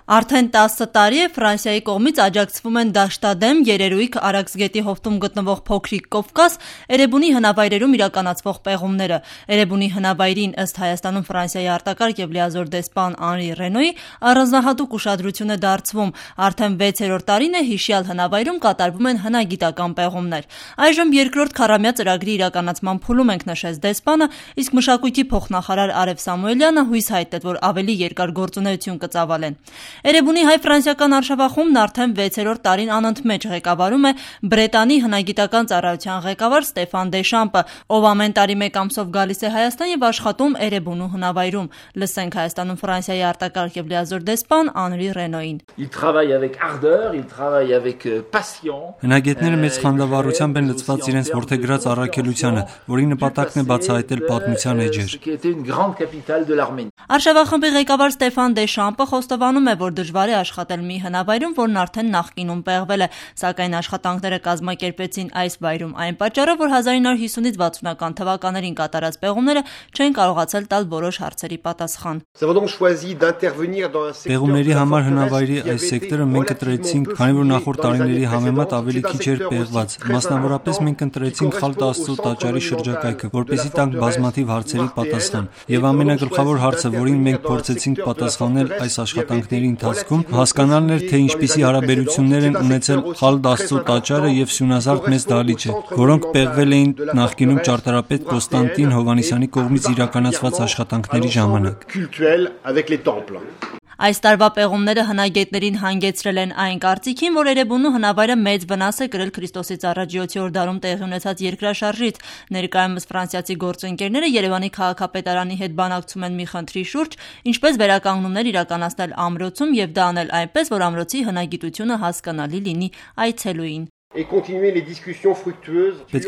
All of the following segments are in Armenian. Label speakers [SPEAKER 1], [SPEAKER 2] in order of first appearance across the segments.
[SPEAKER 1] Արդեն 10 տարի է Ֆրանսիայի կողմից աջակցվում են դաշտադեմ երերույթ Արաքսգետի հովտում գտնվող փոքրիկ Կովկաս Էրեբունի հնավայրերում իրականացվող պեղումները։ Էրեբունի հնավայրին ըստ Հայաստանում Ֆրանսիայի արտակարգ եւ լիազոր դեսպան Անրի Ռենոյի առանձնահատուկ ուշադրություն է դարձվում։ Արդեն 6-րդ տարին է հիշյալ հնավայրում կատարվում են հնագիտական պեղումներ։ Այժմ երկրորդ քառամյա ծրագրի իրականացման փուլում ենք, նշեց դեսպանը, իսկ մշակույթի փոխնախարար Արև Սամուելյանը հույս հայտնեց, որ ավելի երկար գործունեություն կծավալեն։ Էրեբունի հայ-ֆրանսիական արշավախումբն արդեն 6-րդ տարին անընդմեջ ղեկավարում է Բրետանի հնագիտական ծառայության ղեկավար Ստեֆան Դեշամպը, ով ամեն տարի մեկ ամսով գալիս է Հայաստան եւ աշխատում Էրեբունու հնավայրում։ Լսենք Հայաստանում Ֆրանսիայի արտակարգ եւ լիազոր դեսպան Անրի Ռենոյին։
[SPEAKER 2] Հնագետները մեծ խանդավառությամբ են լծված իրենց որդեգրած առաքելությանը, որի նպատակն է բացահայտել պատմության էջեր։
[SPEAKER 1] Արշավախմբի ղեկավար Ստեֆան Դեշամպը խոստովանում է, որ դժվար է աշխատել մի հնավայրում, որն արդեն նախկինում պեղվել է, սակայն աշխատանքները կազմակերպեցին այս վայրում այն պատճառով, որ 1950-ից 60-ական թվականներին կատարած պեղումները չեն կարողացել տալ որոշ հարցերի պատասխան։
[SPEAKER 2] Պեղումների համար հնավայրի այս սեկտորը մենք ընտրեցինք, քանի որ նախորդ տարիների համեմատ ավելի քիչ էր պեղված։ Մասնավորապես մենք ընտրեցինք Խալդ Աստծո տաճարի շրջակայքը, որպեսզի տանք բազմաթիվ հարցերի պատասխան։ Եվ ամենագլխավոր հարցը, որին մենք փորձեցինք պատասխանել այս աշխատանքների ընթացքում, հասկանալն էր, թե ինչպիսի հարաբերություններ են ունեցել Խալդ Աստծո տաճարը եւ Սյունազարդ մեծ դահլիճը, որոնք պեղվել էին նախկինում ճարտարապետ Կոստանտին Հովհաննիսյանի կողմից իրականացված աշխատանքների ժամանակ։
[SPEAKER 1] Այս տարվա պեղումները հնագետներին հանգեցրել են այն կարծիքին, որ Էրեբունու հնավայրը մեծ վնաս է կրել Քրիստոսից առաջ 7-րդ դարում տեղի ունեցած երկրաշարժից։ Ներկայումս ֆրանսիացի գործընկերները Երևանի քաղաքապետարանի հետ բանակցում են մի խնդրի շուրջ, ինչպես վերականգնումներ իրականացնել ամրոցում եւ դա անել այնպես, որ ամրոցի հնագիտությունը հասկանալի լինի այցելուին։
[SPEAKER 2] Պետք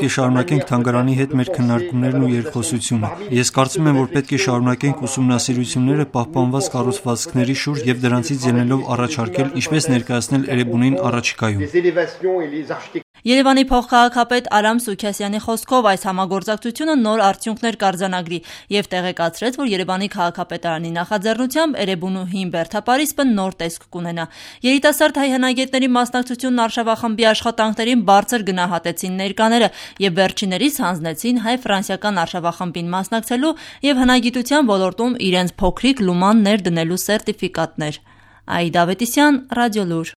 [SPEAKER 2] է շարունակենք թանգարանի հետ մեր քննարկումներն ու երկխոսությունը։ Ես կարծում եմ, որ պետք է շարունակենք ուսումնասիրությունները պահպանված կառուցվածքների շուրջ եւ դրանցից ելնելով առաջարկել, ինչպես ներկայացնել Էրեբունին առաջիկայում։
[SPEAKER 1] Երևանի փոխքաղաքապետ Արամ Սուքիասյանի խոսքով այս համագործակցությունը նոր արդյունքներ կարձանագրի եւ տեղեկացրեց, որ Երևանի քաղաքապետարանի նախաձեռնությամբ Էրեբունու հին բերդապարիսպը նոր տեսք կունենա։ Երիտասարդ հայ հնագետների մասնակցությունն արշավախմբի աշխատանքներին բարձր գնահատեցին ներկաները եւ վերջիներիս հանձնեցին հայ-ֆրանսիական արշավախմբին մասնակցելու եւ հնագիտության ոլորտում իրենց փոքրիկ լուման ներդնելու սերտիֆիկատներ։ Այդա Ավետիսյան, Ռադիոլուր։